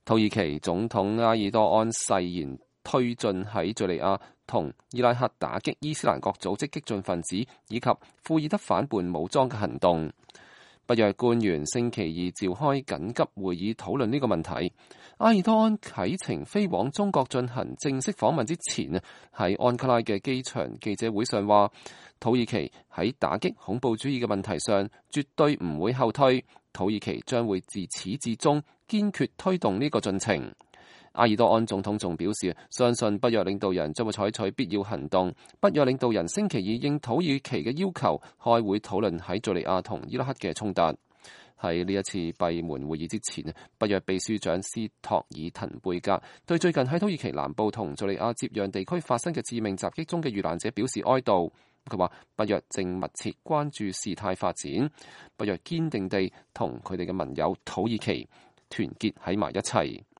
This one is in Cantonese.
土耳其總統埃爾多安誓言推進喺敘利亞同伊拉克打擊伊斯蘭國組織激進分子以及庫爾德反叛武裝嘅行動。北約官員星期二召開緊急會議討論呢個問題。埃爾多安啟程飛往中國進行正式訪問之前，喺安卡拉嘅機場記者會上話，土耳其喺打擊恐怖主義嘅問題上絕對唔會後退，土耳其將會自始至終堅決推動呢個進程。埃爾多安總統仲表示，相信北約領導人將會採取必要行動。北約領導人星期二應土耳其嘅要求開會討論喺敘利亞同伊拉克嘅衝突。喺呢一次閉門會議之前，北約秘書長斯托爾滕貝格對最近喺土耳其南部同敘利亞接壤地區發生嘅致命襲擊中嘅遇難者表示哀悼。佢話北約正密切關注事態發展，北約堅定地同佢哋嘅盟友土耳其團結喺埋一齊。